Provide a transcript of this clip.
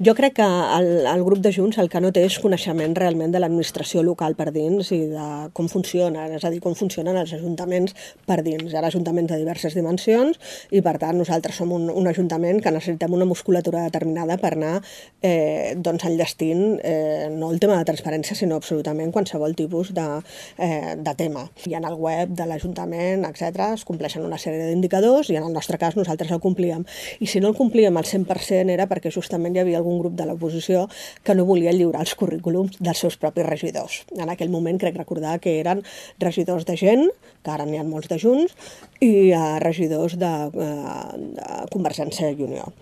Jo crec que el grup de Junts el que no té és coneixement realment de l'administració local per dins i de com funciona, és a dir, com funcionen els ajuntaments per dins. Hi ha ajuntaments de diverses dimensions i, per tant, nosaltres som un ajuntament que necessitem una musculatura determinada per anar enllestint no el tema de transparència, sinó absolutament qualsevol tipus de tema. I en el web de l'Ajuntament, etc., es compleixen una sèrie d'indicadors i en el nostre cas nosaltres el complíem. I si no el complíem al 100% era perquè justament hi havia algun grup de l'oposició que no volia lliurar els currículums dels seus propis regidors. En aquell moment crec recordar que eren regidors de Gent, que ara n'hi ha molts de Junts, i regidors de Convergència i Unió.